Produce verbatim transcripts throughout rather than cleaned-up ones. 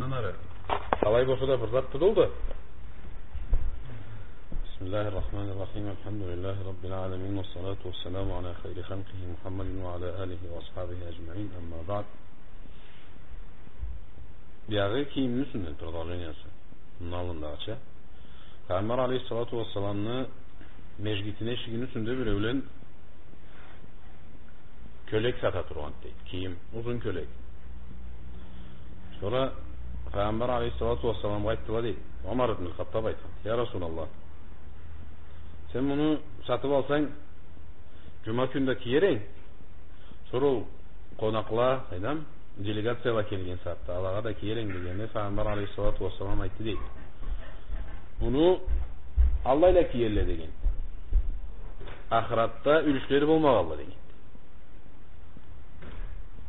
Алай болса да бир зат тутулду. بسم الله الرحمن الرحيم. الحمد لله رب العالمين، والصلاة والسلام على خير خلقه محمد وعلى آله وأصحابه أجمعين. أما بعد. Биягъы кийимни юсюнден продолжениясы. Мындан аллындагъыча. Пайгъамбар алейхиссалату уассаламны межгитини эшигини юсюнде биреулен кёлек сата тургъан, дейди. Кийим, узун кёлек. Сора Пайгъамбар алейхиссалату уассаламгъа айтдыла, дейди. Умар ибн Хаттаб айтхан: «Я Расулаллах, сен муну сатып алсанг, джума кюн да киер эдинг. Сора ол къонакъла, къайдам, делегацияла келген сагъатда алагъа да киер эдинг», — дегенде, Пайгъамбар алейхиссалату уассалам айтды, дейди: «Муну аллайла киерле, — деген. — Ахыратда юлюшлери болмагъанла», — деген.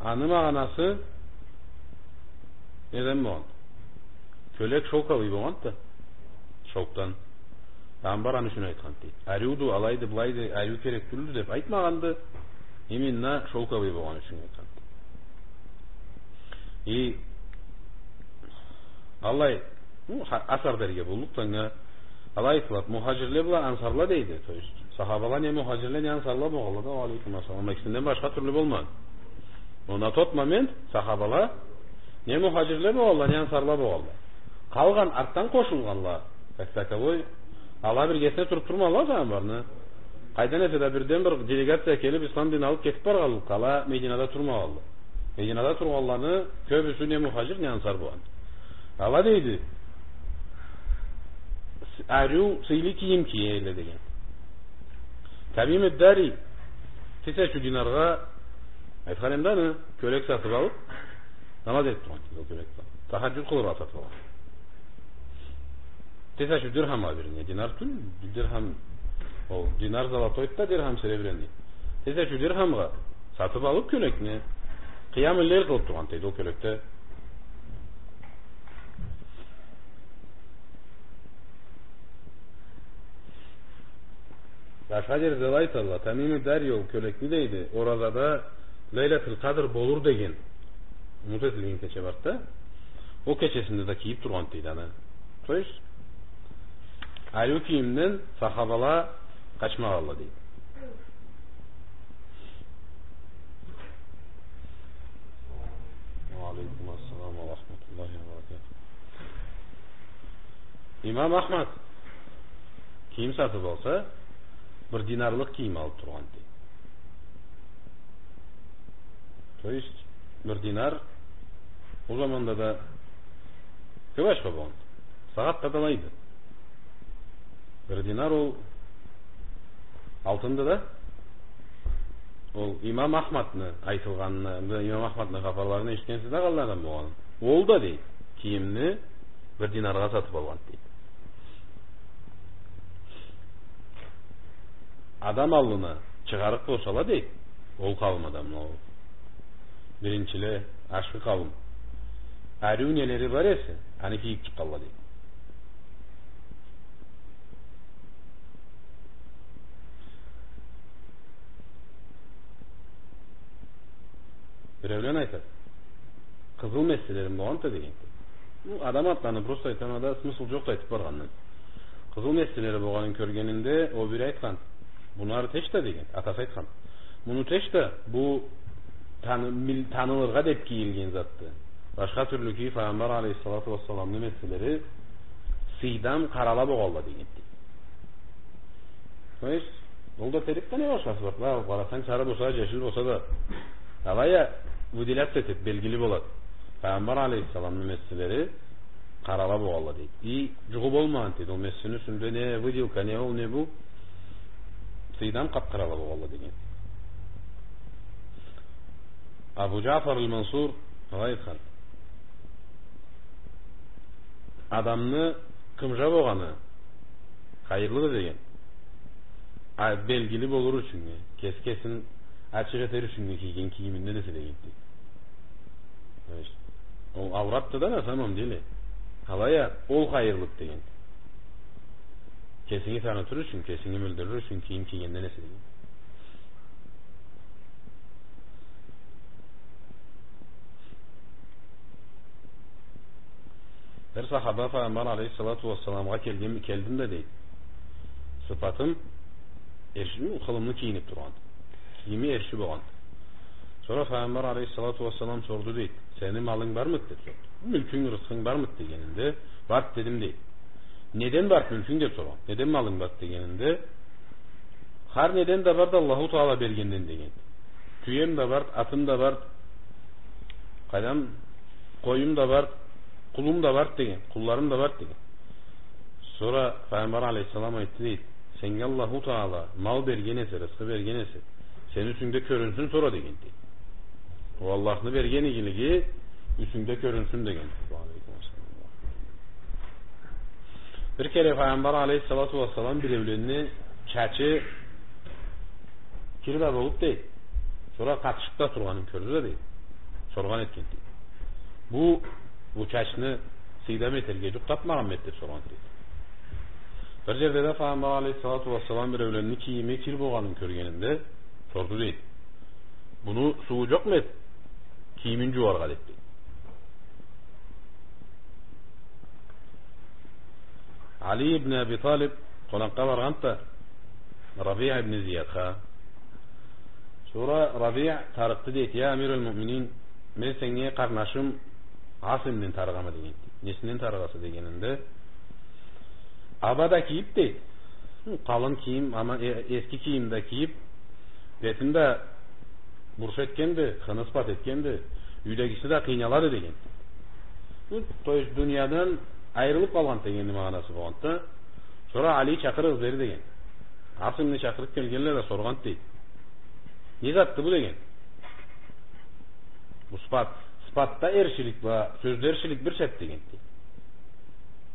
Аны магъанасы неден болгъан? Кёлек шёлковый болгъанды. Шёлкдан. Пайгъамбар аны ючюн айтхан, дейди. Ариуду, алайды, былайды, ариу керек тюлдю деп айтмагъанды. Именно шёлковый болгъаны ючюн айтхан. И алай, ну, ха-, асар дерге боллукъду анга. Алай айтылады, мухаджирле бла ансарла, дейди. То есть сахабала не мухаджирле, не ансарла болгъанла да, уа алейкум ассалам, экисинден башха тюрлю болмагъан. Но на тот момент сахабала не мухаджирле болгъанла, не ансарла болгъанла. Къалгъан, артдан къошулгъанла, как таковой, ала биргесине туруп турмагъанла Пайгъамбарны. Къайдан эсе да бирден бир делегация келип, ислам дин алып кетип баргъанлыкъгъа, ала Мединада турмагъанла. Мединада тургъанланы кёбюсю не мухаджир, не ансар болгъан. Ала, дейди, с-, ариу, сыйлы кийим киелле, деген. Тамим ад-Дари тысячу динаргъа, айтхан эдим да аны, кёлек сатып алып, намаз этип тургъан, дейди, ол кёлек бла. Тахаджуд къылыргъа сатып алгъан. Тысячу дирхамгъа, вернее, динар тюл, дирхам, ол динар золотойду да, дирхам серебряный. Тысячу дирхамгъа сатып алып кёлекни, къыямул-лейль къылып тургъан, дейди, ол кёлекде. Башха джерде да айталла, Тамим ад-Дари ол кёлекни, дейди, оразада Лейлатул Къадр болур деген умут этилген кече барды да, ол кечесинде да кийип тургъан, дейди, аны. То есть ариу кийимден сахабала къачмагъанла, дейди. Уа алейкум ассалам уа рахматуллахи уа баракатух. Имам Ахмад кийим сатып алса, бир динарлыкъ кийим алып тургъан, дейди. То есть бир динар ол заманда да кёп ачха болгъан. Сагъатда да алайды. Бир динар ол алтынды да. Ол имам Ахмадны айтылгъанын, имам Ахмадны хапарларын эшитгенсиз да, къаллай адам болгъанын. Ол да, дейди, кийимни бир динаргъа сатып алгъан, дейди. Адам аллына чыгъарыкъ болсала, дейди, ол къауум адамла, ол биринчиле, ашхы къауум, ариу нелери бар эсе, аны кийип чыкъгъанла, дейди. Биреулен айтады, къызыл месселерим болгъанды, деген. Бу адам атланы просто айтама да, смысл джокъду айтып баргъандан. Къызыл месселери болгъанын кёргенинде, ол бири айтхан: «Муну ары тыш да», — деген, атасы айтхан. «Муну тыш да, бу таны-, мил-, танылыргъа деп кийилген затды. Башха тюрлю кийип, Пайгъамбар алейхиссалату уассаламны месселери сыйдам къарала болгъанла», — деген. То есть ол да терекде не башхасы бар? Бла, къарасанг, сары болса, джешил болса да, алай а выделяться этип, белгили болады. Пайгъамбар алейхиссаламны месселери къарала болгъанла, дейди. И джугъу болмагъан, дейди. Ол мессени юсюнде не выделка, не ол, не бу. Сыйдам къап-къарала болгъанла, деген. Абу Джафар аль-Мансур алай айтхан: адамны къымжа болгъаны хайырлыды, деген. А белгили болур ючюннге, кеси кесин ачыкъ этер ючюннге кийген кийиминден эсе, деген, дейди. То есть ол ауратды да, на самом деле. Алай а ол хайырлыды, деген. Кесинги танытыр ючюн, кесинги билдирир ючюн кийим кийгенден эсе, деген. Бир сахаба Файгъамбар алейхиссалату уассаламгъа келген, келдим да, дейди. Сыфатым эрши, хылымлы кийинип тургъан. Кийими эрши болгъан. Сора Файгъамбар алейхиссалату уассалам сорду, дейди. Сени малынг бармыды деп сорду. Мюлкюнг, рысхынг бармыды дегенинде, барды дедим, дейди. Неден барды мюлкюнг деп соргъан. Неден малынг барды дегенинде, хар неден да барды Аллаху Таала бергенден деген. Тюем да барды, атым да барды, къайдам, къоюм да барды, къулум да барды деген, къулларым да барды деген. Сора Файгъамбар алейхиссалам айтды, дейди, сеннге Аллаху Таала мал берген эсе, рысхы берген эсе, сени юсюнгде кёрюнсюн сора деген, дейди. Ол Аллахны берген игилиги юсюнгде кёрюнсюн деген. Бир кере Файгъамбар алейхиссалату уассалам биреуленни чачы кир да болуп, дейди. Сора къатышып да тургъанын кёрдю да, дейди. Соргъан этген, дейди. Бу, бу чачны сыйдам этерге джукъ тапмагъанмы эди деп соргъан, дейди. Бир джерде да Файгъамбар алейхиссалату уассалам биреуленни кийими кир болгъанын кёргенинде сорду, дейди. Муну сууу джокъму эди кийимин джууаргъа деп, дейди. Али ибн Аби Талиб къонакъгъа баргъанды да Рабиъ ибн Зиядха. Сора Рабиъ тарыкъды, дейди, я амир аль-муъминин, мен сеннге къарнашым Асимден тарыгъама деген. Несинден тарыгъаса дегенинде, аба да кийип, дейди. Къалын кийим, ама э-, эски кийим да кийип, бетин да бурш этгенди, хыны ыспат этгенди, юйдегиси да къыйналады деген. Бу, то есть, дуниядан айырылып къалгъан дегенни магъанасы болгъанды да. Сора Али чакъырыгъыз бери деген. Асимни чакъырып келгенле да соргъанды, дейди. Не затды бу деген. Бу сыпат, сыпатда эршилик бла сёзде эршилик бир шарт деген, дейди.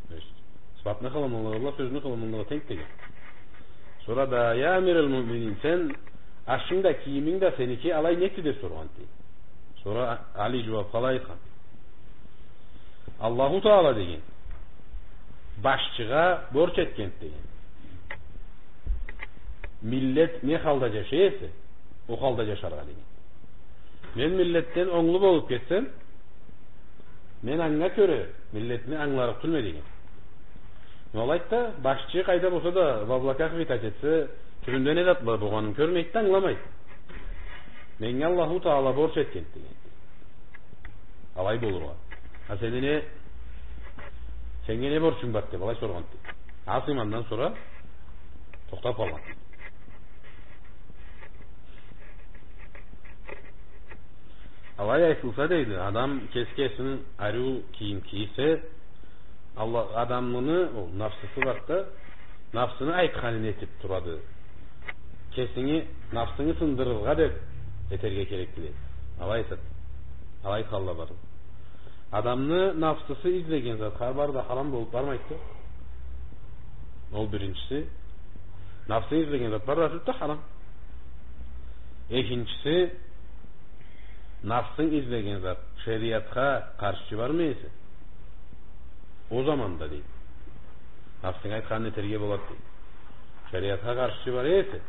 То есть, сыпатны хылымылыгъы бла сёзню хылымылыгъы тенг деген. Сора да, я амир аль-муъминин, сен ашынг да, кийиминг да сеники, алай некди деп соргъан, дейди. Сора Али джууапха алай айтхан. Аллаху Таала деген башчыгъа борч этген деген. Миллет не халда джашай эсе, ол халда джашаргъа деген. Мен миллетден онглу болуп кетсем, мен анга кёре миллетни ангыларыкъ тюлме деген. Но алайды да, башчы къайда болса да, в облаках витать этсе, тюбюнде не зат бла болгъанын кёрмейди да, ангыламайды. Меннге Аллаху Таала борч этген деген. Алай болургъа. А сени не, сеннге не борчунг барды деп, алай соргъанды. Асим андан сора тохтап къалгъан. Алай айтылса, дейди, адам кеси кесин ариу кийим кийсе, Аллах адамны, ол нафсысы барды да, нафсыны айтханын этип турады. Кесинги, нафсынгы сындырыргъа деп этерге керекди, дейди. Алай айтады. Алай айтханла барды. Адамны нафсысы излеген зат хар бары да харам болуп бармайды. Ол биринчиси. Нафсынг излеген зат бары да тюлдю да харам. Экинчиси, нафсынг излеген зат шериатха къаршчы бармы эсе, ол заманда, дейди, нафсынг айтханын этерге болады, дейди. Шериатха къаршчы бара эсе,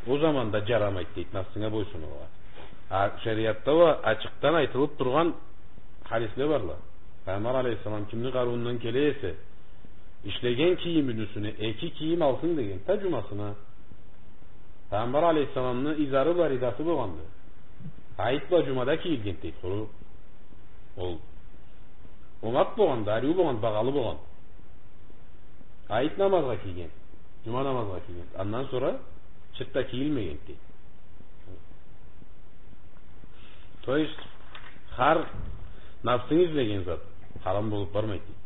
ол заманда джарамайды, дейди, нафсынга бойсунургъа. А шериатда уа ачыкъдан айтылып тургъан хадисле барла. Пайгъамбар алейхиссалам кимни къарыуундан келе эсе, ишлеген кийимини юсюне эки кийим алсын деген да джумасына. Пайгъамбар алейхиссаламны изары бла ридасы болгъанды. Айт бла джумада кийилген, дейди, къуру. Ол омакъ болгъанды, ариу болгъанды, багъалы болгъанды. Айт намазгъа кийген, джума намазгъа кийген. Андан сора чыртда кийилмеген, дейди. То есть, хар нафсынг излеген зат харам болуп бармайды, дейди.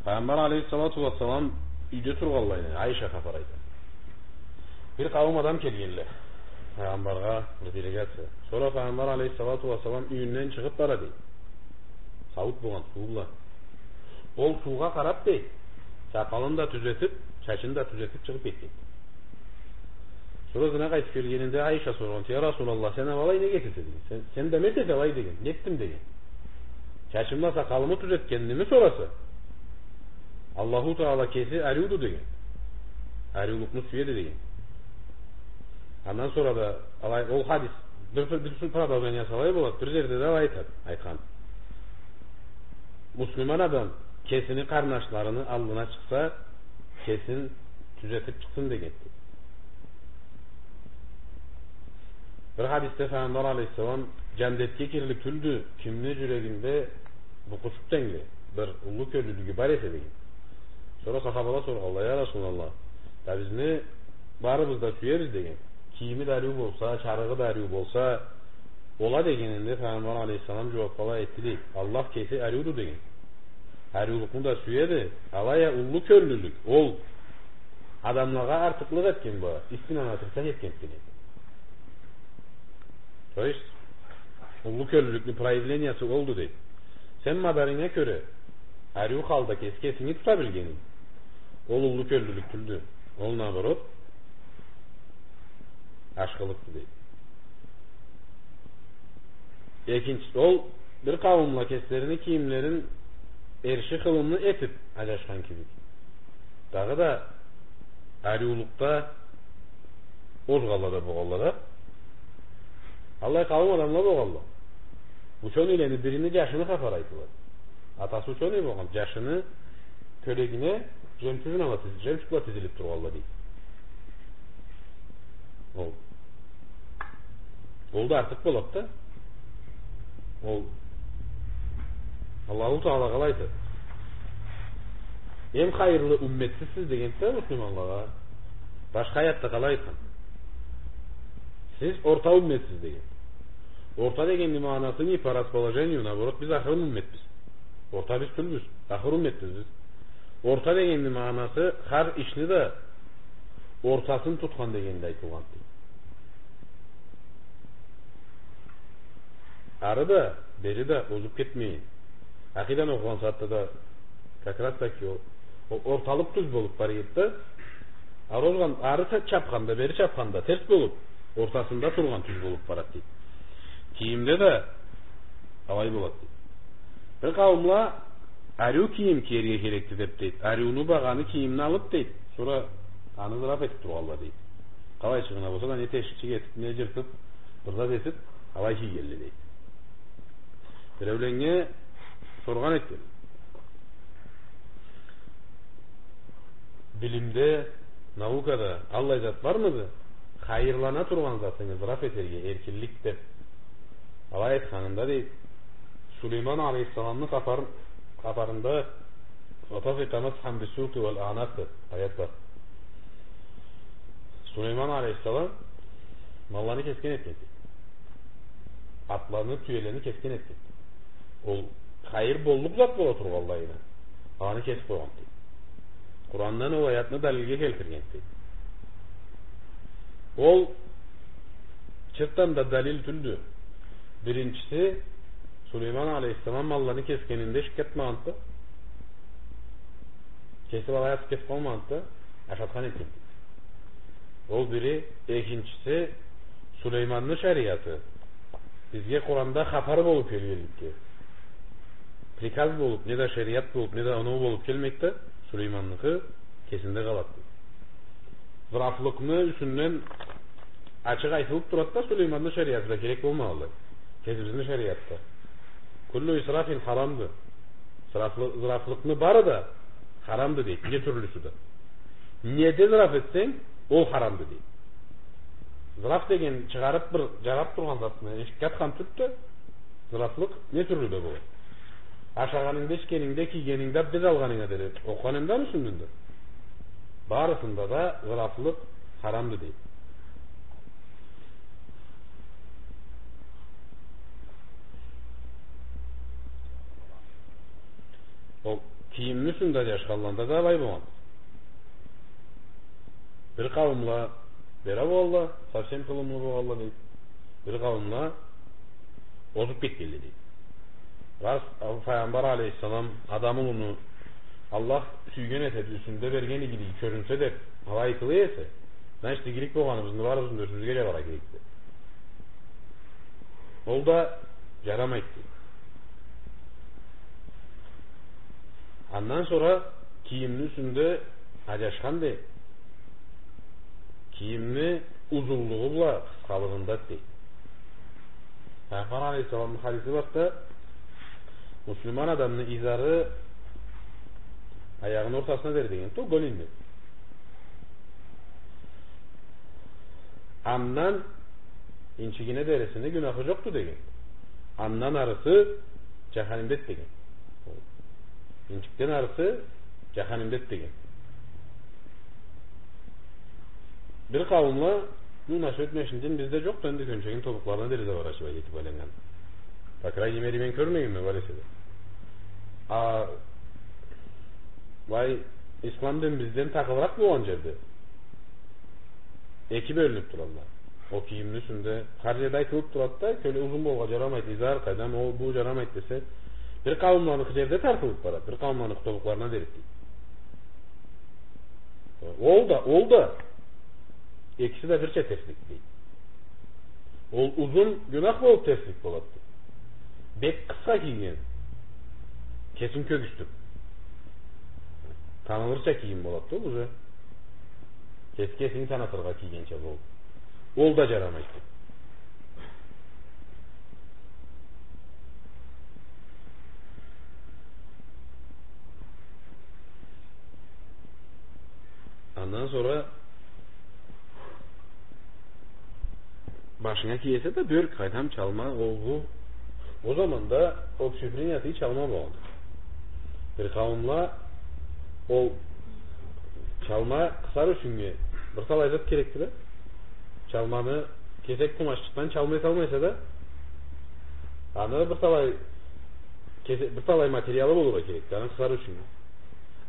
Пайгъамбар алейхиссалату уассалам юйде тургъанлай, Айша хапар айта. Бир къауум адам келгенле Пайгъамбаргъа, бир делегация. Сора Пайгъамбар алейхиссалату уассалам юйюнден чыгъып бара, дейди. Сауут болгъан, суу бла. Ол суугъа къарап, дейди, сакъалын да тюзетип, чачын да тюзетип чыгъып кетген. Сора ызына къайтып келгенинде Айша соргъан: «Я Расулаллах, сен а былай нек этесе?» — деген. «Сен, сен да ма этесе алай?» — деген. «Не этдим?» — деген. «Чачым бла сакъалымы тюзетгеними сораса, Аллаху Таала кеси ариуду», — деген. «Ариулукъну сюеди», — деген. Андан сора да алай, ол хадис Бир, бир, бир продолжение салай болад. Бир джерде да алай айтад, айтхан. Муслиман адам кесини къарнашларыны аллына чыкъса, кесин тюзетип чыкъсын дегенди. Бир хадисде Файгъамбар алейхиссалам: «Джандетге кирлик тюлдю кимни джюрегинде букъучукъ тенгли бир уллу кёллюлюгю бар эсе», — деген. Сора сахабала соргъанла: «Я Расулаллах, да бизни барыбыз да сюебиз, — деген. — Кийими да ариу болса, чарыгъы да ариу болса, ола», — дегенинде, Файгъамбар алейхиссалам джууапла айтды, дейди: «Аллах кеси ариуду, — деген. — Ариулукъну да сюеди, алай а уллу кёллюлюк ол адамлагъа артыкълыкъ этген бла истинаны отрицать этгенди», — деген. То есть, уллу кёллюлюкню проявлениясы олду, дейди. Сен мадарынга кёре, ариу халда кеси кесинги тута билгенинг, ол уллу кёллюлюк тюлдю. Ол, наоборот, ашхылыкъды, дейди. Экинчи, ол бир къауумла кеслерини кийимлерин эрши хылымлы этип аджашхан кибик. Дагъыда ариулукъда озгъанла да болгъанла да. Аллай къауум адамла болгъанла. Учёныйлени бирини джашыны хапары айтылады. Атасы учёный болгъан, джашыны кёлегине жемчугла тиз-, жемчугла тизилип тургъанла, дейди. Ол, ол да артыкъ болады да. Ол Аллаху Таала къалай айтады? Эм хайырлы умметсиз сиз дегенди да муслиманлагъа. Башха аятда къалай айтхан? Сиз орта умметсиз деген. Орта дегенни магъанасы не по расположению, наоборот, биз ахырын умметбиз. Орта биз тюлбюз, ахыр умметбиз биз. Орта дегенни магъанасы хар ишни да ортасын тутхан дегенде айтылгъанды. Ары да, бери да озуп кетмейин. Акъиданы окъугъан сагъатда да как раз таки ол, ол орталыкъ тюз болуп бара эди да, ары озгъан, ары чапханда, бери чапханда терс болуп, ортасында тургъан тюз болуп барады, дейди. Кийимде да алай болады, дейди. Бир къауумла ариу кийим киерге керекди деп, дейди. Ариуну багъаны кийимни алып, дейди. Сора аны зыраф этип тургъанла, дейди. Къалайчыгъына болса да, не тешикчик этип, не жыртып, бир зат этип, алай кийгенле, дейди. Биреуленнге соргъан этген: «Билимде, наукада аллай зат бармыды? Хайырлана тургъан затынгы зыраф этерге эркинлик», — деп. Алай айтханында, дейди, Сулейман алейхиссаламны хапар-, хапарында «وطفق مسحا بالسوق والأعناق» деп аят бар. Сулейман алейхиссалам малланы кесген этген, дейди. Атланы, тюелени кесген этген. Ол хайыр боллукъ зат бола тургъанлайына, аны кесип къойгъан, дейди. Къурандан ол аятны далилге келтирген, дейди. Ол чыртдан да далил тюлдю. Биринчиси, Сулейман алейхиссалам малланы кесгенинде шик этмегенди да. Кесип алай атып кетип къалмагъанды да, ашатхан этген. Ол бири. Экинчиси, Сулейманны шариаты бизге Къуранда хапар болуп келгенликге, приказ болуп, неда шариат болуп, неда оноу болуп келмейди да, Сулейманныкъы кесинде къалады. Зырафлыкъны юсюнден ачыкъ айтылып турады да, Сулейманны шариаты да керек болмагъанлай. Кесибизни шариатда. «كل إسراف حرام»ды. Зырафлы-, зырафлыкъны бары да харамды, дейди, не тюрлюсю да. Неде зыраф этсенг, ол харамды, дейди. Зыраф деген чыгъарып бир жарап тургъан затны эшикге атхан тюлдю да, зырафлыкъ не тюрлю да болады. Ашагъанынгда, ичгенингде, кийгенингде, абдез алгъанынгда дери, окъугъанынгда, юсюнден да. Барысында да зырафлыкъ харамды, дейди. Ол кийимни юсюнде аджашханланда да алай болгъан. Бир къауумла бера болгъанла, совсем хылымлы болгъанла, дейди. Бир къауумла озуп кетгенле, дейди. Рас, Файгъамбар алейхиссалам Адам улуну Аллах сюйген этеди, юсюнде берген игилиги кёрюнсе деп, алай айтыла эсе, значит, игилик болгъаныбызны барыбызны да юсюбюзге джабаргъа керекди. Ол да джарамайды, дейди. Андан сора кийимни юсюнде аджашхан, дейди. Кийимни узунлугъу бла къысхалыгъында, дейди. Пайгъамбар алейхиссаламны хадиси бар да, муслиман адамны изары аягъыны ортасына дери деген, то голеньине. Андан инчигине дерисини гюнахы джокъду деген. Андан арысы джаханимдеди деген. Инчикден арысы джаханимдеди деген. Бир къауумла, ну, насчёт мешитден бизде джокъду, энди кёнчегин тобукъларына дери заворачивать этиб айланнган. По крайней мере, мен кёрмегенме, бар эсе да. А былай, ислам дин бизден тахылыракъ болгъан джерде эки бёлюнюб туралла. Ол кийимни юсюнде хар джерде айтылыб турады да, кёле узун болургъа джарамайды, изар, къайдам, ол, бу джарамайды десе, бир къауумланы джерде тартылыб барады, бир къауумланы тобукъларына дери дейди. Ол да, ол да, экиси да бирча терслик дейди. Ол узун гюнах болуб терслик болады. Бек къысха кийген, кесин кёргюзтюб, танылырча кийим болады да, ол уже кеси кесин танытыргъа кийгенча болуб. Ол да джарамайды. Андан сора башынга кие эсе да бёрк, къайдам, чалма, ол, бу. Ол заманда общепринятый чалма болгъан. Бир къауумла ол чалма къысар ючюннге бир талай зат керекди да. Чалманы кесек къумаччыкъдан чалма эте алмайса да, аны бир талай кесе-, бир талай материалы болургъа керекди, аны къысар ючюннге.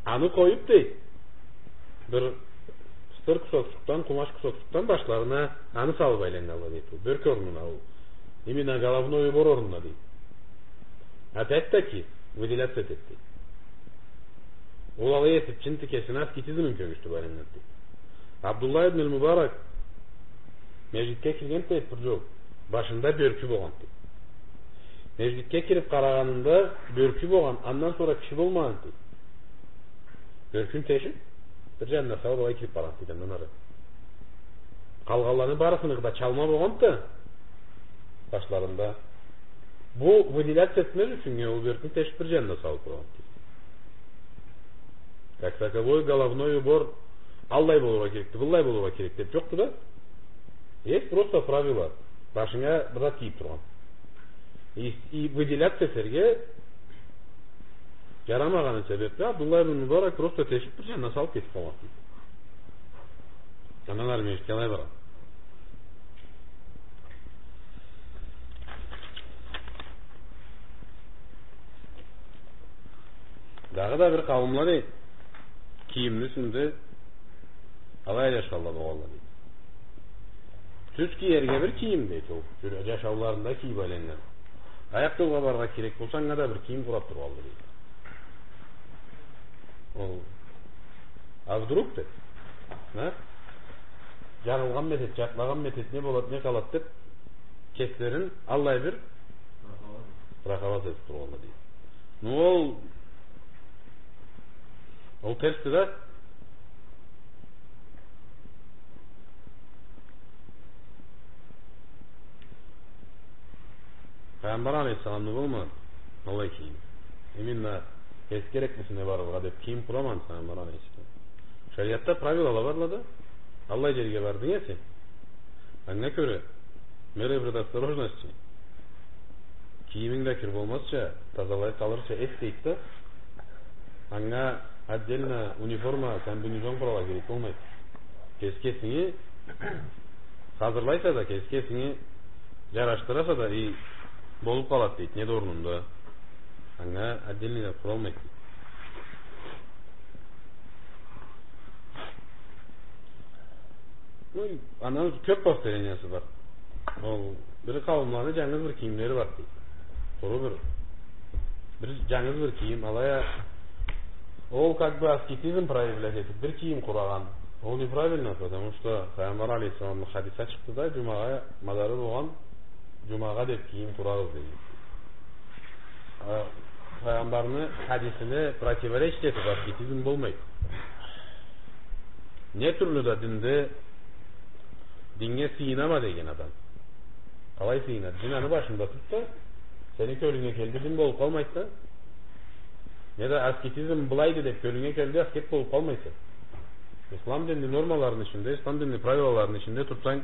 Аны къоюб, дейди, бир сытыр кусокчукъдан, къумач кусокчукъдан башларына аны салыб айланнганла, дейди, ол бёрк орнуна, ол именно головной убор орнуна, дейди. Опять-таки, выделяться этеди, дейди. Ол алай этиб, чынтты кесине аскетизмин кёргюзтюб айланнганды, дейди. Абдуллах ибн аль-Мубарак межгитге киргенди, дейди, бир джол. Башында бёркю болгъанды, дейди. Межгитге кириб къарагъанында бёркю болгъан, андан сора киши болмагъанды, дейди. Бёркюн тешиб, бир джанына салыб, алай кириб баргъанды, дейди, андан ары. Къалгъанланы барысыныгъы да чалма болгъанды да башларында. Бу выделяться этмез ючюннге ол бёркюн тешиб бир джанына салыб къойгъанды, дейди. Как таковой головной убор аллай болургъа керекди, быллай болургъа керекди деб джокъду да. Есть просто правила. Башынга бир зат кийиб тургъан. И, и выделяться этерге джарамагъаны себебли Абдуллах ибн Мубарак просто тешиб бир джанына салыб кетиб къалгъан, дейди. Андан ары межгитге алай баргъан. Дагъыда бир къауумла, дейди, кийимни юсюнде алай джашаулла болгъанла, дейди. Тюз киерге бир кийим, дейди, ол джашауларында кийиб айланнган. Аякъ джолгъа барыргъа керек болса, анга да бир кийим къураб тургъанла, дейди. Ол, а вдруг деб, а? Джагъылгъанмы этеди, джатлагъанмы этеди, не болады, не къалады деб, кеслерин аллай бир страховать этиб тургъанла, дейди. Ну, ол, ол терсди да. Пайгъамбар алейхиссаламны болмагъан аллай кийим. Именно кеси кереклисине барыргъа деб кийим къурамагъан Пайгъамбар алейхиссалам. Шариатда правилала барла да. Аллай джерге бардынг эсе, анга кёре меры предосторожности. Кийиминг да кир болмазча, тазалай къалырча эт, дейди да. Анга отдельно униформа, комбинезон къураргъа керек болмайды. Кеси кесинги хазырлайса да, кеси кесинги джарашдыраса да, и болуб къалады, дейди, не да орнунда. Анга отдельный да къуралмайды, дейди. Ну, андан кёб повторениясы бар. Ол бир къауумланы джангыз бир кийимлери бар, дейди. Къуру бир, бир джангыз бир кийим, алай а ол как бы аскетизм проявлять этиб, бир кийим къурагъан. Ол неправильно, потому что Пайгъамбар алейхиссаламны хадиси чыкъды да, джумагъа мадары болгъан, джумагъа деб кийим къурагъыз, дейди. А, Пайгъамбарны хадисине противоречить этиб, аскетизм болмайды. Не тюрлю да динде, динге сыйынама деген адам. Алай сыйынады. Джин аны башында турса, сени кёлюнге келди, дин болуб къалмайды да. Неда аскетизм былайды деб кёлюнге келди, аскет болуб къалмайса. Ислам динни нормаларыны ичинде, ислам динни правилаларыны ичинде турсанг,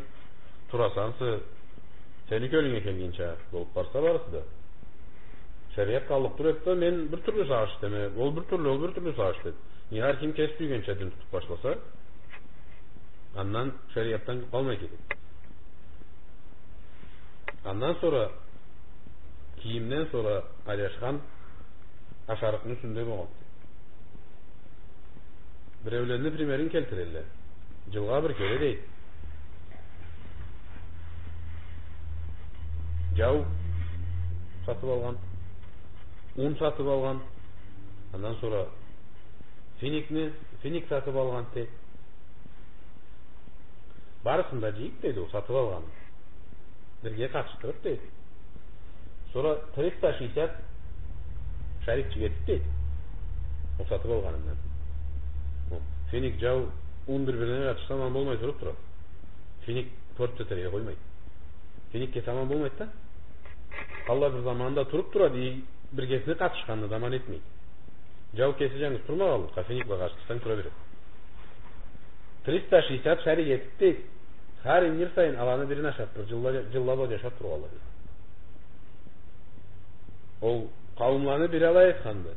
тураса ансы, сени кёлюнге келгенча болуб барса барысы да. Шериат къаллыкъ тура эди да, мен бир тюрлю сагъыш этеме, ол бир тюрлю, ол бир тюрлю сагъыш этеди. Неда хар ким кеси сюйгенча дин тутуб башласа, андан шериатдан къалмай кетеди. Андан сора, кийимден сора айлашхан ашарыкъны юсюнде болгъан. Биреулени примерин келтирелле. Джылгъа бир кере, дейди, джау сатыб алгъан, ун сатыб алгъан, андан сора финикни, финик сатыб алгъан, дейди. Барысын да джыйыб, дейди, ол сатыб алгъанын бирге къатышдырыб, дейди. Сора триста шестьдесят шарикчик этиб, дейди, ол сатыб алгъанындан. Ол финик, джау, ун бир-бирине къатышса, аман болмай туруб турады. Финик портить этерге къоймайды. Финик кеси аман болмайды да. Къаллай бир заманда туруб турады, и биргесине къатышханны да аман этмейди. Джау кеси джангыз турмагъанлыкъгъа, финик бла къатышсанг, тура береди. Триста шестьдесят шарик этиб, дейди, хар ингир сайын аланы бирин ашаб, бир джылла-, джылла бла джашаб тургъанла, дейди. Ол къауумланы бири алай айтханды.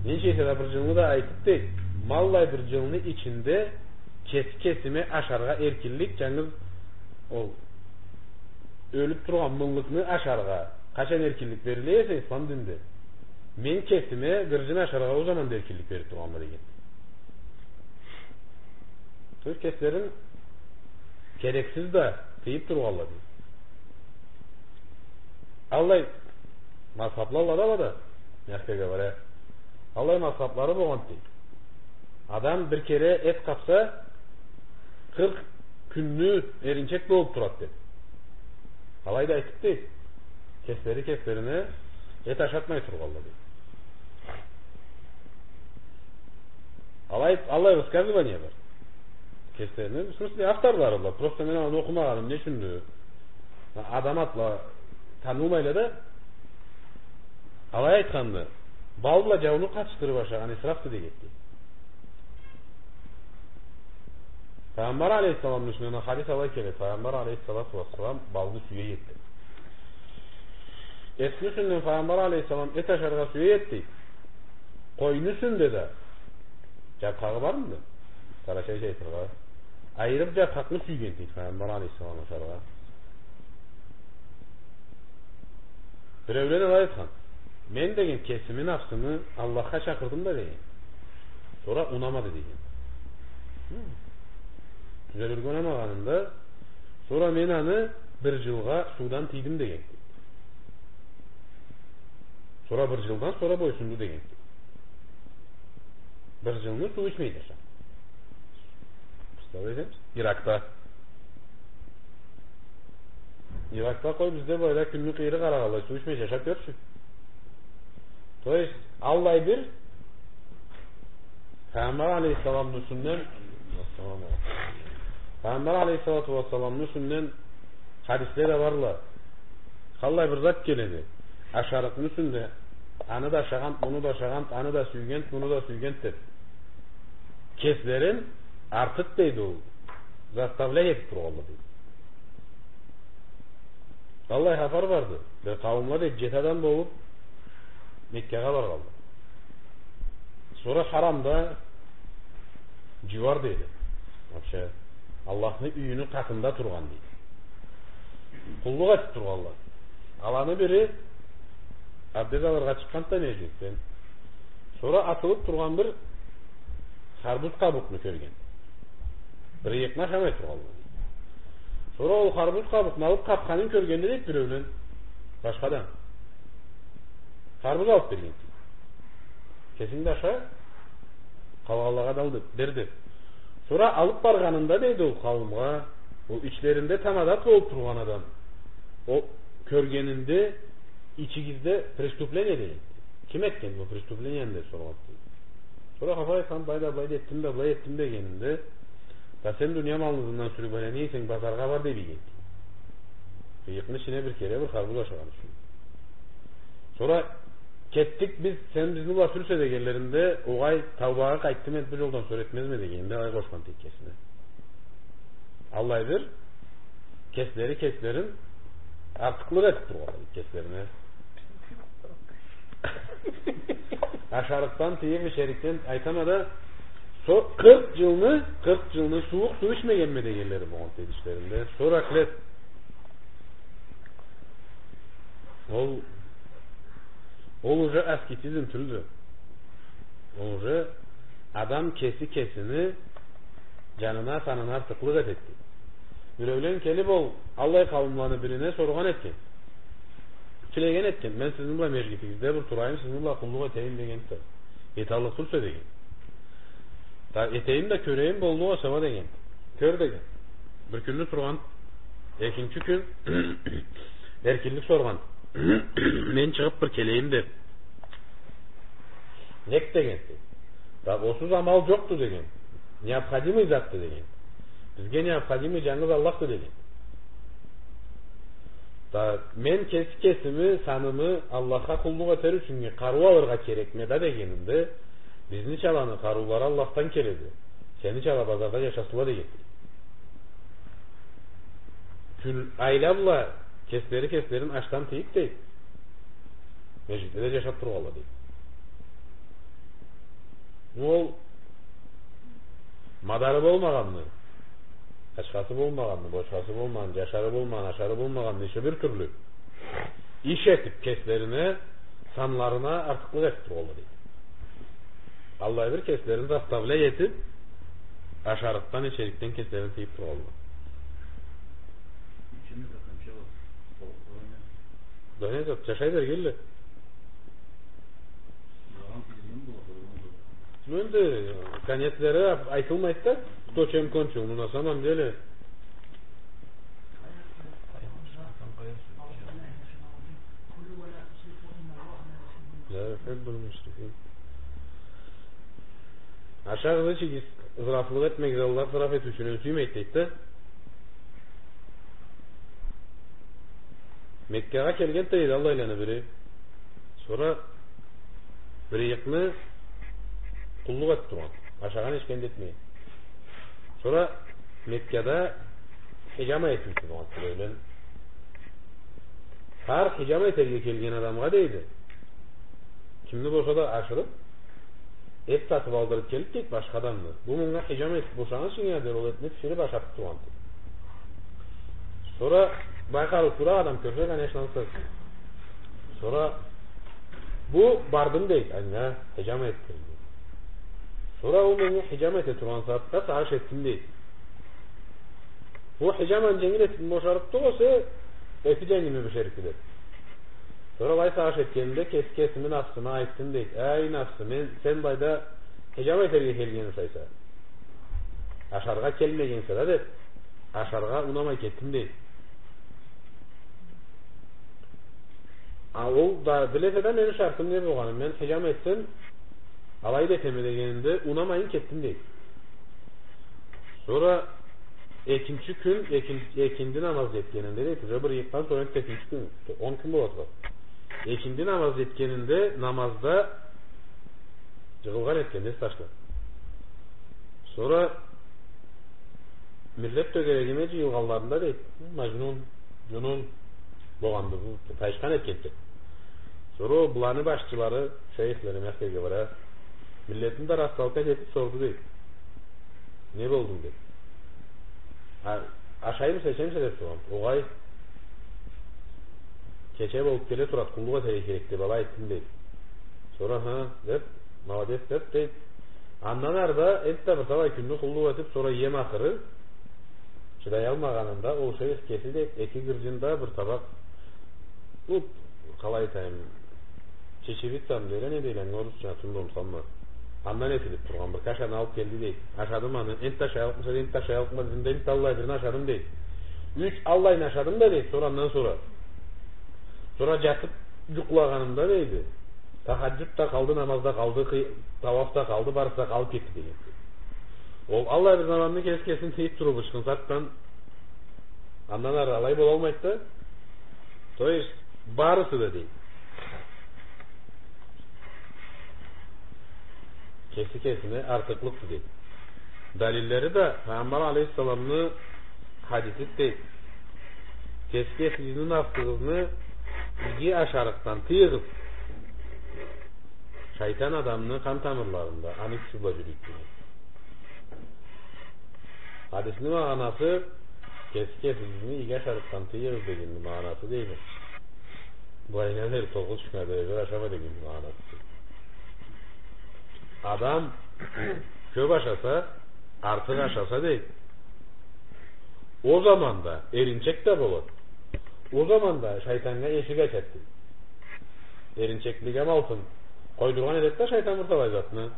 Ненча эсе да бир джылны да айтыб, дейди, ма аллай бир джылны ичинде кеси кесиме ашаргъа эркинлик, джангыз ол ёлюб тургъан мыллыкны ашаргъа къачан эркинлик бериле эсе ислам динде, мен кесиме бир джылны ашаргъа ол заманда эркинлик бериб тургъанма, деген. То есть кеслерин керексиз да тыйыб тургъанла, дейди. Аллай мазхабла да, ала да, мягко говоря, аллай мазхаблары болгъан, дейди. Адам бир кере эт къабса, къыркъ кюнню эринчек болуб турады, дейди. Алай да айтыб, дейди, кеслери кеслерине эт ашатмай тургъанла, дейди. Алай, аллай высказывание бар. Кеслерини, в смысле, авторлары бла. Просто мен аны окъумагъаным, не ючюндю? Адам атла танылмайла да, алай айтханды. Бал бла джауну къатышдырыб ашагъан исрафды, дегенди. Файгъамбар алейхиссаламны юсюнден хадис алай келеди. Файгъамбар алейхиссалату уассалам балны сюе эди. Этни юсюнден Файгъамбар алейхиссалам эт ашаргъа сюе эди, дейди. Къойну юсюнде да джаркъагъы бармыды? Къарачайча айтыргъа, айырыб джаркъакъны сюйген, дейди, Файгъамбар алейхиссалам ашаргъа. Биреулен алай айтхан. Мен, деген, кесими нафсымы Аллахха чакъырдым да, деген. Сора унамады, деген. Хы. Тюзелирге унамагъанында, сора мен аны бир джылгъа суудан тыйдым, деген. Сора бир джылдан сора бойсунду, деген. Бир джылны суу ичмей джашагъан. Представляете? Иракда. Иракда къой, бизде былайда кюнню къыйыры къарагъанлай, суу ичмей джашаб кёрчю. То есть, аллай бир Файгъамбар алейхиссаламны юсюнден, Файгъамбар алейхиссалату уассаламны юсюнден хадисле да барла. Къаллай бир зат келеди. Ашарыкъны юсюнде, аны да ашагъан, муну да ашагъан, аны да сюйген, муну да сюйген деб. Кеслерин артыкъ, дейди, ол заставлять этиб тургъанла, дейди. Аллай хапар барды. Бир къауумла, дейди, джети адам болуб Меккагъа баргъанла. Сора харамда джууар, дейди. Вообще, Аллахны юйюню къатында тургъан, дейди. Къуллукъ этиб тургъанла. Аланы бири абдез алыргъа чыкъгъанды да межгитден. Сора атылыб тургъан бир харбуз къабукъну кёрген. Бир ыйыкъны ашамай тургъанла. Сора ол харбуз къабукъну алыб къабханын кёргенди, дейди, биреулен. Башха адам. Харбуз алыб берген. Кесинг да аша, къалгъанлагъа да ал деб, бер деб. Сора алыб баргъанында, дейди, ол къауумгъа, ол ичлеринде тамадат болуб тургъан адам, ол кёргенинде, ичигизде преступление, деген. Ким этген бу преступлениени деб соргъан, дейди. Сора хапар айтхан, былай да былай да этдим да, былай этдим дегенинде, да сен дуния малны ызындан сюрюб, алай не эсенг, базаргъа бар деб ийген. Ыйыкъны ичине бир кере бир харбуз ашагъан ючюн. Сора, «Кетдик биз, сен бизни бла сюрсе» дегенлеринде, «Огъай, таубагъа къайтдым, энди бу джолдан сора этмезме» дегенинде, алай къошхан теккесине. Аллай бир кеслери кеслерин артыкълыкъ этип тургъанла кеслерине. Ашарыкъдан тыйып, ичерикден, айтама да, со-, къыркъ джылны, къыркъ джылны сууукъ суу ичмегенме дегенлери болгъан тейди ичлеринде. Сора, ахлет, ол, ол уже аскетизм тюлдю. Ол уже адам кеси кесини джанына, санына артыкълыкъ этеди. Биреулен келип, ол аллай къауумланы бирине соргъан этген. Тилеген этген: «Мен сизни бла межгитигизде бир турайым, сизни бла къуллукъ этейим», — дегенди. «Эталлыкъ тюлсе», — деген. «Да этейим да кёрейим, боллукъ эсе уа», — деген. «Кёр», — деген. Бир кюнню тургъан, экинчи кюн эркинлик соргъан. «Мен чыгъып бир келейим», — деп. «Нек?» — деген. «Да осуз амал джокъду», — деген. «Необходимый затды», — деген. «Бизге необходимый джангыз Аллахды», — деген. «Да мен кеси кесими, санымы Аллахха къуллукъ этер ючюн къарыу алыргъа керекме да», — дегенинде, «Бизничаланы къарыулары Аллахдан келеди. Сеничала базарда джашасынла», — деген. Кюн айла бла кеслери кеслерин ашдан тыйып, дейди, межгитде да джашап тургъанла, дейди. Ол мадары болмагъанны, ачхасы болмагъанны, бочхасы болмагъанны, джашары болмагъанны, ашары болмагъанны, иши бир тюрлю иш этип, кеслерине, санларына артыкълыкъ этип тургъанла, дейди. Аллай бир кеслерин заставлять этип, ашарыкъдан, ичерикден кеслерин тыйып тургъанла. Да не зат, джашай бергенле. Ну, энди конецлери ап-, айтылмайды да, кто чем кончил, ну, на самом деле. Да, хеппи мушрикин. Ашагъыз, ичигиз, ызрафлыкъ этмегиз, Аллах ызраф этиучюню сюймейди, дейди да. Меккагъа келген, дейди, аллайланы бири. Сора бир ыйыкъны къуллукъ этип тургъан. Ашагъан, ичген да этмеген. Сора Меккада хиджама этиучю болгъан, тюбейлен. Хар хиджама этерге келген адамгъа, дейди, кимни болса да ашырып, эт сатып алдырып келип, дейди, башха адамны. Бу мынга хиджама этип бошагъынчы, дер, ол этни биширип ашатып тургъан, дейди. Сора бай къарыу туракъ адам кёрсе, конечно, ансыз. Сора бу бардым, дейди, анга хиджама этдирим, дейди. Сора ол меннге хиджама эте тургъан сагъатда сагъыш этдим, дейди. Бу хиджаманы дженгил этип бошарыкъды болса, эти дженгилми бишерикди, деп. Сора алай сагъыш этгенимде кес-, кесими нафсыма айтдым, дейди. Эй, нафсы, мен, сен былайда хиджама этерге келгенсе, ашаргъа келмегенсе да, деп, ашаргъа унамай кетдим, дейди. А ол да биледи да мени шартым не болгъанын. Мен хиджама этсем, алай да этеме дегенинде, унамайын кетдим, дейди. Сора экинчи кюн, экин-, экинди намаз джетгенинде, дейди, уже бир ыйыкъдан сора экинчи кюн, он кюн бола турады. Экинди намаз джетгенинде намазда джыгъылгъан этген, эс ташлап. Сора миллет тёгерегиме джыйылгъанларында, дейди, Маджнун, джунун болгъанды бу, тайышхан этгенди. Сора ол буланы башчылары, шейхлери, Меккеге бара, миллетни да расталкъа этип сорду, дейди. Не болдунг, дейди. А, ашаймыса, ичемисе деп соргъан. Огъай, кече болуп келе турады, къуллукъ этерге керек деп, алай айтдым, дейди. Сора, ха, деп, молодец, деп, дейди. Андан ары да энтда бир талай кюнню къуллукъ этип, сора эм ахыры, чыдаялмагъанында, ол шейх кеси, дейди, эки гырджын да бир табакъ, бу, къалай айтайым, чечевица дейле, не дейле, орусча, тюнде унутханма. Андан этилип тургъан бир кашаны алып келди, дейди. Ашадым аны, энтда ашаялыкъмыса, энтда ашаялыкъма дедим да, энтда аллай бирин ашадым, дейди. Юч аллайын ашадым да, дейди, сора андан сора. Сора джатып джукълагъанымда, дейди, тахаджуд да къалды, намаз да къалды, къый-, тауаф да къалды, барысы да къалып кетди, дейди. Ол аллай бир заманны кеси кесин тыйып туруп, ычхынсартдан, андан ары алай болалмайды да. То есть, барысы да, дейди, кеси кесине артыкълыкъды, дейди. Далиллери да Пайгъамбар алейхиссаламны хадиси, дейди: «Кеси кесигизни нафсыгъызны иги ашарыкъдан тыйыгъыз. Шайтан адамны къан тамырларында, аны кючю бла джюрюйдю», дейди. Хадисни магъанасы, кеси кесигизни иги ашарыкъдан тыйыгъыз дегенни магъанасы, дейди, былайына дери тогъуз кюннге дери бир ашама дегенни магъанасы. Адам кёп ашаса, артыкъ ашаса, дейди, ол заманда эринчек да болады. Ол заманда шайтаннга эшик ачады, дейди. Эринчеклиге амалтын къойдургъан этеди да шайтан бир талай затны.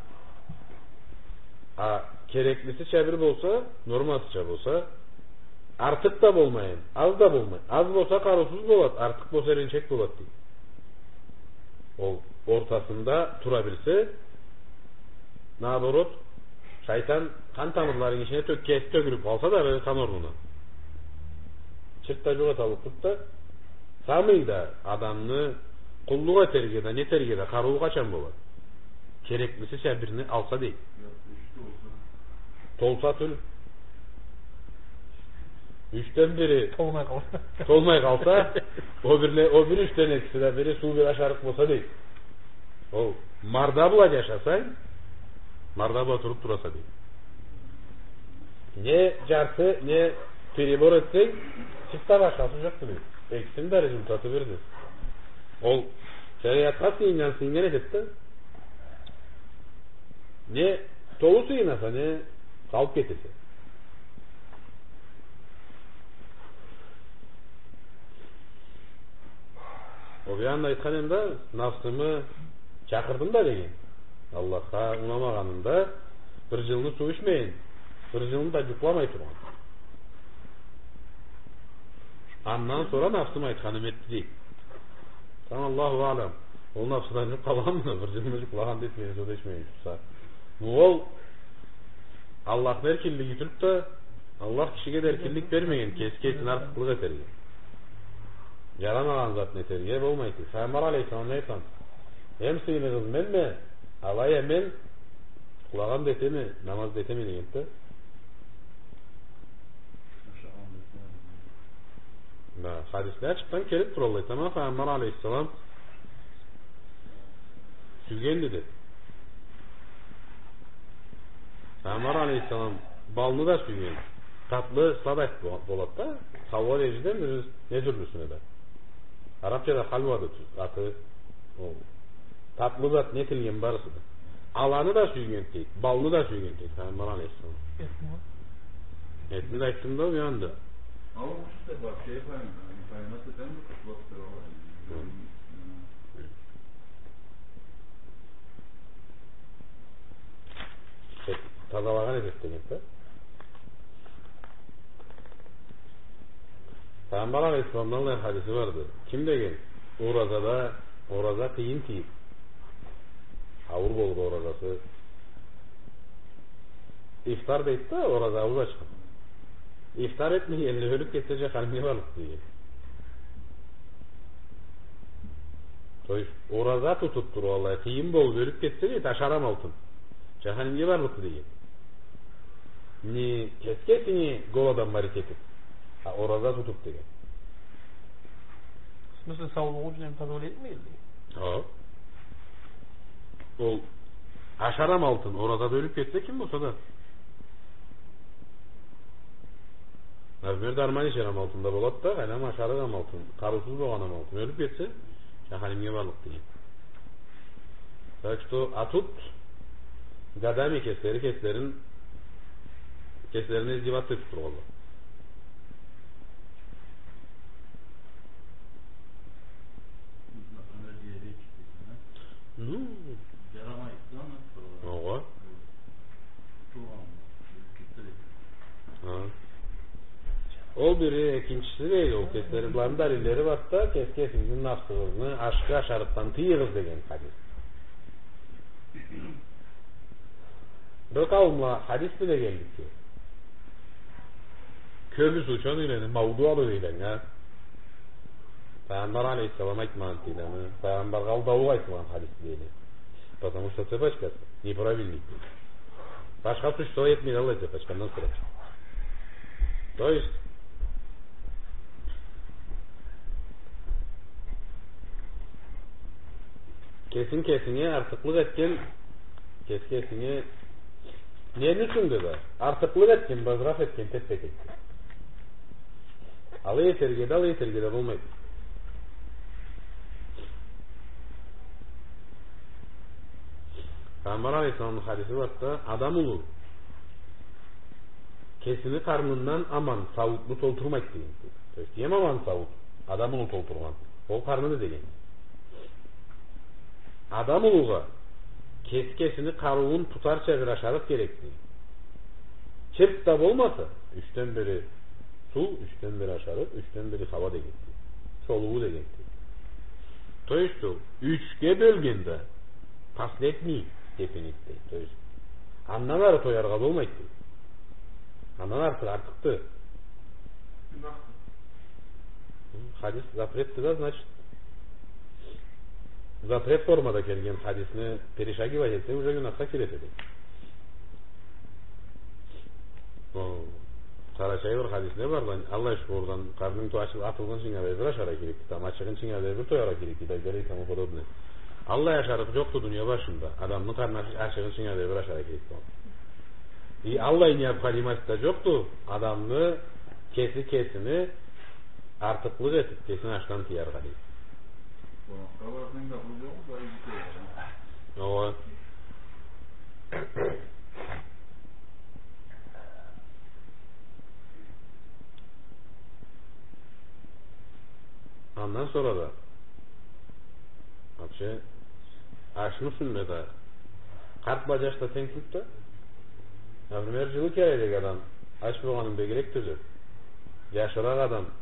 А кереклисича бир болса, нормасыча болса, артыкъ да болмайын, аз да болмай. Аз болса, къарыусуз болады, артыкъ болса, эринчек болады, дейди. Ол ортасында тура билсе, наоборот, шайтан къан тамырларыны ичине тё-, кеси тёгюлюп къалса да, бир къан орнуна, чырт да джукъ эталлыкъ тюлдю да, самый да адамны къуллукъ этерге да, нетерге да къарыуу къачан болады? Кереклисича бирни алса, дейди. Толса тюл. Ючден бири толмай къалса. Толмай къалса, о бирле-, о бир ючден экиси да, бири суу, бири ашарыкъ болса, дейди. Ол марда бла джашасанг, марда бла туруп тураса, дейди. Не джарты, не перебор этсенг, чырт да башхасы джокъду, дейди. Экисини да результаты бирди. Ол шериатха сыйыннган сыйыннган этеди да. Не толу сыйынаса, не къалып кетесе. Ол бир анда айтхан эди да, нафсымы чакъырдым да деген. Аллахха унамагъанымда, бир джылны суу ичмейин, бир джылны да джукъламай тургъан. Андан сора нафсым айтханымы этди, дейди. Тамам, Аллаху аълам. Ол нафсыдан джукъ къалгъанмыды, бир джылны джукълагъан да этмеген, суу да ичмеген турса. Ну, ол Аллахны эркинлиги тюлдю да, Аллах кишиге да эркинлик бермеген кеси кесине артыкълыкъ этерге, джарамагъан затны этерге болмайды. Пайгъамбар алейхиссалам не айтхан? Эм сыйыныгъыз менме, алай а мен къулагъан да этеме, намаз да этеме, дегенди да. Да, хадисле ачыкъдан келип тура алай. Тамам, Пайгъамбар алейхиссалам сюйгенди деб. Пайгъамбар алейхиссалам балны да сюйген. Татлы, сладость бо-, болады да. Хауа дережеде, не тюрлюсюне да. Арабчада халва да тюз, аты ол. Татлы зат не этилген барысы да. Аланы да сюйген дейди, балны да сюйген дейди Пайгъамбар алейхиссалам. Этни? Этни да айтдым да, уянды. А ол кюшюде бар, шей, паймайман, не паймайман, сен бир кутулап тура алай. Хы. Э, тазалагъан этеди деген да. Пайгъамбар алейхиссаламдан алай хадиси барды. Ким деген оразада, ораза къыйын тийип, ауур болур оразасы. Ифтар дейди да, ораза ауз ачхан. Ифтар этмегенлей ёлюп кетсе, джаханимге барлыкъ деген. То есть, ораза тутуп туруп, алай къыйын болуп ёлюп кетсе, дейди, ашар амалтын, джаханимге барлыкъды деген. Не кеси кесине голодоморить этип, а ораза тутуп деген. В смысле, саулугъу ючюн эм тазалыкъ этмейди? Хо. Ол ашар амалтын, оразада ёлюп кетсе ким болса да. Например, дарман ичер амалтын да болады да, къайдам, ашарыкъ амалтын, къарыусуз болгъан амалтын. Ёлюп кетсе, джаханимге барлыкъ деген. Так что, а тут годами кеслери кеслерин, кеслерине издеваться этип тургъанла. Например, диабетик дейсен, а? Ну. Джарамайды да, аны. Огъа. Хы. Ол бири, экинчиси дейди, ол кеслери, быланы далиллери барды да, кеси кесигизни нафсыгъызны ашхы ашарыкъдан тыйыгъыз деген хадис. Бир къауумла хадис биле келдик ки. Кёбюсю учёныйлени мауду алып эйлеген, а? Пайгъамбар алейхиссалам айтмагъан, дейди, аны. Пайгъамбаргъа алдаулукъ айтылгъан хадис, дейди. Потому что цепочкасы неправильный. Башха существо этмейди аллай цепочканы, андан сора. То есть, кесинг кесинге артыкълыкъ этген, кес кесинге нени ючюн да артыкълыкъ этген, базыраф этген теппе-текди. Алай этерге да, алай этерге да болмайды. Пайгъамбар алейхиссаламны хадиси барды да, адам улу кесини къарнындан аман сауутну толтурмайды деген. То есть, эм аман сауут адам улу толтургъан. Ол къарныды деген. Адам улугъа кес-, кесини къарыуун тутарча бир ашарыкъ керекди. Чырт да болмаса, ючден бири суу, ючден бири ашарыкъ, ючден бири хауа дегенди. Солуу дегенди. То есть ол ючге бёлгенде последний степеньди. То есть андан ары тояргъа болмайды. Андан артыкъ артыкъды. Хадис запретди да, значит, запрет формада келген хадисни перешагивать этсе, уже гюнахха киреди. О, къарачай бир хадисде бар да, Аллах шукурдан, къарнынг то-, ачыл-, атылгъынчынга дери бир ашаргъа керекди, тамам ачыгъынчынга дери бир тояргъа керекди, и так далее и тому подобное. Аллай ашарыкъ джокъду дуния башында, адамны къарны ач-, ачыгъынчынга дери бир ашаргъа керекди. И аллай необходимость да джокъду адамны кеси кесини артыкълыкъ этиб, кесин ачдан тыяргъа, дейди. Ооба. Андан сора да, вообще, ашны юсюнде да, къарт бла джаш да тенг тюлдю да. Например, джылы кёрелик адам ач болгъанын бегирек тюзеб, джашыракъ адам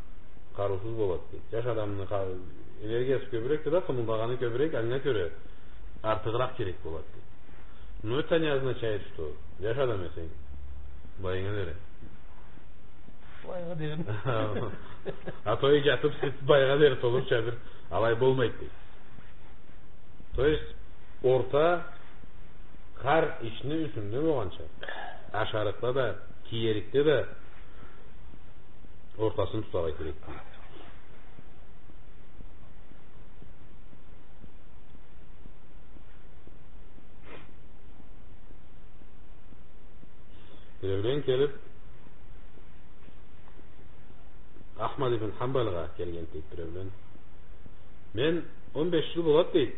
къарыусуз болады, дейди. Джаш адамны къа-, энергиясы кёбюрекди да, къымылдагъаны кёбюрек, анга кёре артыгъыракъ керек болады, дейди. Но это не означает, что джаш адам эсенг, былайынга дери. Былайынга дери. А то и джатыб, сиз былайынга дери толурча бир алай болмайды, дейди. То есть, орта хар ишни юсюнде болгъанча, ашарыкъда да, киерикде да ортасын тутаргъа керекди. Биреулен келиб, Ахмад ибн Ханбалгъа келген, дейди, биреулен. Мен он беш джыл болады, дейди,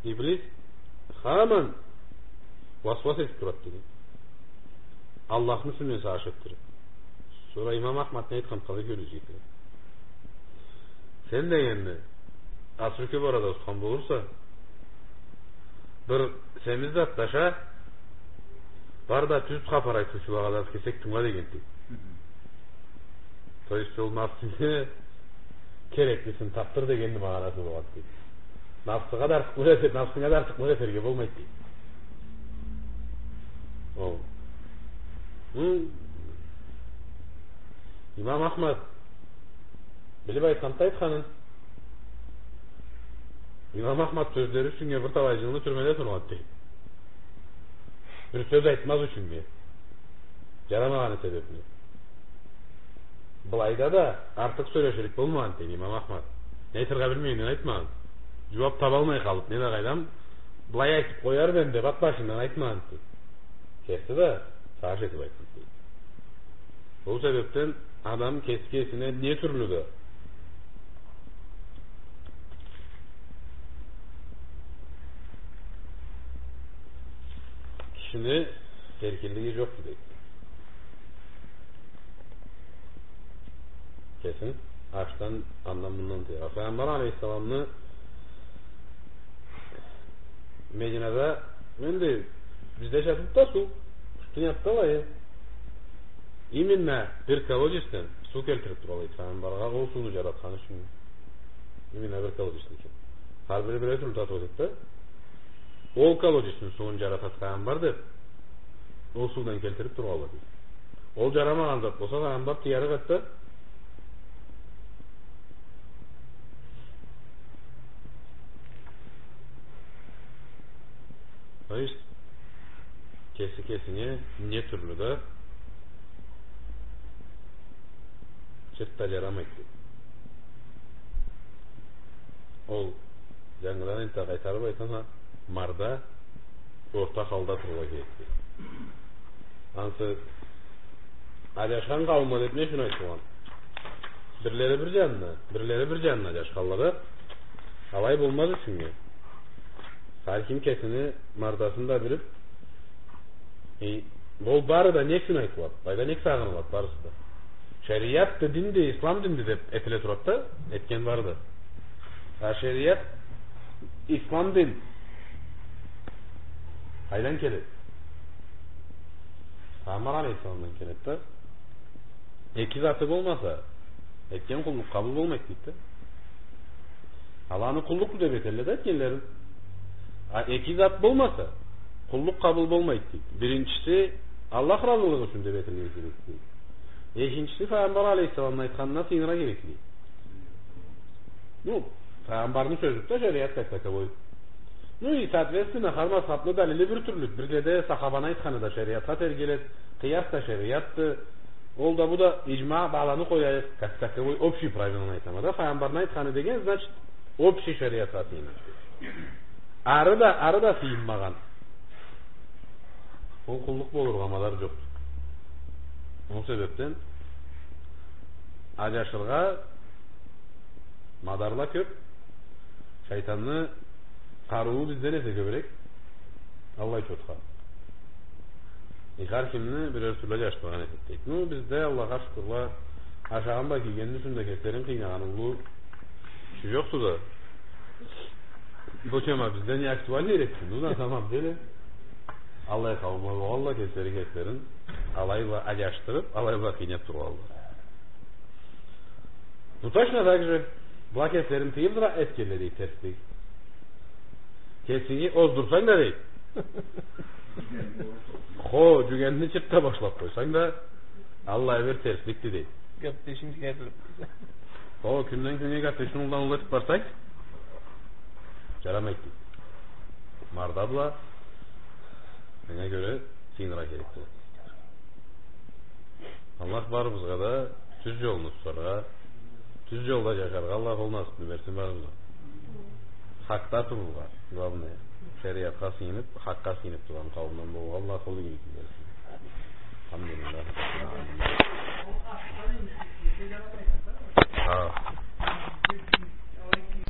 иблис хаман уасуас этиб турады, дейди. Аллахны юсюнден сагъыш этдириб. Сора имам Ахмад не айтхан, къызыкъ кёрюрге. Сен дегенни, асыры кёб арада тутхан болурса, бир семиз зат да аша, бар да тюз хапар айтыучулагъа да кесек тынгыла дегенди. Хы-хы. То есть ол нафсынгы кереклисин табдыр дегенни магъанасы болады, дейди. Нафсыгъа да артыкълыкъ эте-, нафсынга да артыкълыкъ этерге болмайды, дейди. Ол. Хы. Имам Ахмад билиб айтханды айтханын. Имам Ахмад сёзлери ючюннге бир талай джылны тюрмеде тургъанды, дейди. Бир сёз айтмаз ючюннге. Джарамагъаны себебли. Былайда да артыкъ сёлеширик болмагъанды, дейди, имам Ахмад. Не айтыргъа билмегенден айтмагъанды. Джууаб табалмай къалыб, не да къайдам, былай айтыб къоярма эдим деб, ат башындан айтмагъанды, дейди. Керти да, сагъыш этиб айтханды, дейди. Ол себебден адам кеси кесине не тюрлю да кишини эркинлиги джокъду, дейди. Кесин ашдан, андан, мындан тыяргъа. Пайгъамбар алейхиссаламны Мединада, энди, бизде джатыб да суу, пустынияда да алай. Именно бир колодецден суу келтириб туралла эди Пайгъамбаргъа, ол сууну джаратханы ючюн. Именно бир колодецден. Хар бири бир тюрлю татыу этеди да. Ол колодецни сууун джаратады Пайгъамбар деб, ол суудан келтириб туралла эди. Ол джарамагъан зат болса, Пайгъамбар тыярыкъ эди да. Кеси кесинге не тюрлю да чырт да джарамайды. Ол, джангыдан энтда къайтарыб айтама, марда орта халда турургъа керекди. Ансы аджашхан къауумла деб не ючюн айтылгъан? Бирлери бир джанына, бирлери бир джанына аджашханла да. Алай болмаз ючюннге. Хар ким кесини мардасын да билиб, э, ол бары да не ючюн айтылады? Былайда нек сагъынылады барысы да? Шериатды, динди, ислам динди деб этиле турады да, этген барды. А шериат, ислам дин къайдан келеди? Пайгъамбар алейхиссаламдан келеди да. Эки заты болмаса, этген къуллукъ къабыл болмайды дейди да. Аланы къуллукъду деб этелле да этгенлерин. А эки зат болмаса, къуллукъ къабыл болмайды дейди. Биринчиси, Аллах разылыгъы ючюн деб этилирге керекди дейди. Экинчиси, Пайгъамбар алейхиссаламны айтханына сыйыныргъа керекди дейди. Ну, Пайгъамбарны сёзюдю да шериат как таковой. Ну и, соответственно, хар мазхабны далили бир тюрлюдю. Бир да сахабаны айтханы да шериатха тергеледи, къыяс да шериатды. Ол да, бу да, иджма, быланы къояйыкъ, как таковой, общий правиланы айтама да, Пайгъамбарны айтханы деген, значит, общий шериатха сыйына. Ары да, ары да сыйынмагъан, ол къуллукъ болургъа мадар джокъду. Ол себебден аджашыргъа мадарла кёб, шайтанны къарыуу бизден эсе кёбюрек, аллай чотха. И хар кимни бирер тюрлю аджашдыргъан этеди дейди. Ну, бизде, Аллахха шукурла, ашагъан бла кийгенни ючюн да кеслерин къыйнагъан уллу киши джокъду да. Бу тема бизде не актуальный эди, ну, на самом деле. Аллай къауумла болгъанла, кеслери кеслерин алай бла аджашдырыб, алай бла къыйнаб тургъанла. Ну, точно так же, была кеслерин тыйыб да этгенле дейди терслик. Кесинги оздурсанг да дейди. Хо, джюгенни чырт да башлаб къойсанг да, аллай бир терсликди дейди. Гапдешинг сигарилиб къойса. Хо, кюнден кюннге гапдешинги уллудан уллу этиб барсанг, джарамайды дейди. Марда бла, анга кёре, сыйыныргъа керек болады. Аллах барыбызгъа да тюз джолну тутаргъа, тюз джолда джашаргъа Аллах ол насыбны берсин барыбызгъа. Хакъда турургъа, главное. Шериатха сыйыныб, хакъгъа сыйыныб тургъан къауумдан болургъа Аллах ол игиликни берсин. Алхамдулиллах. Хо.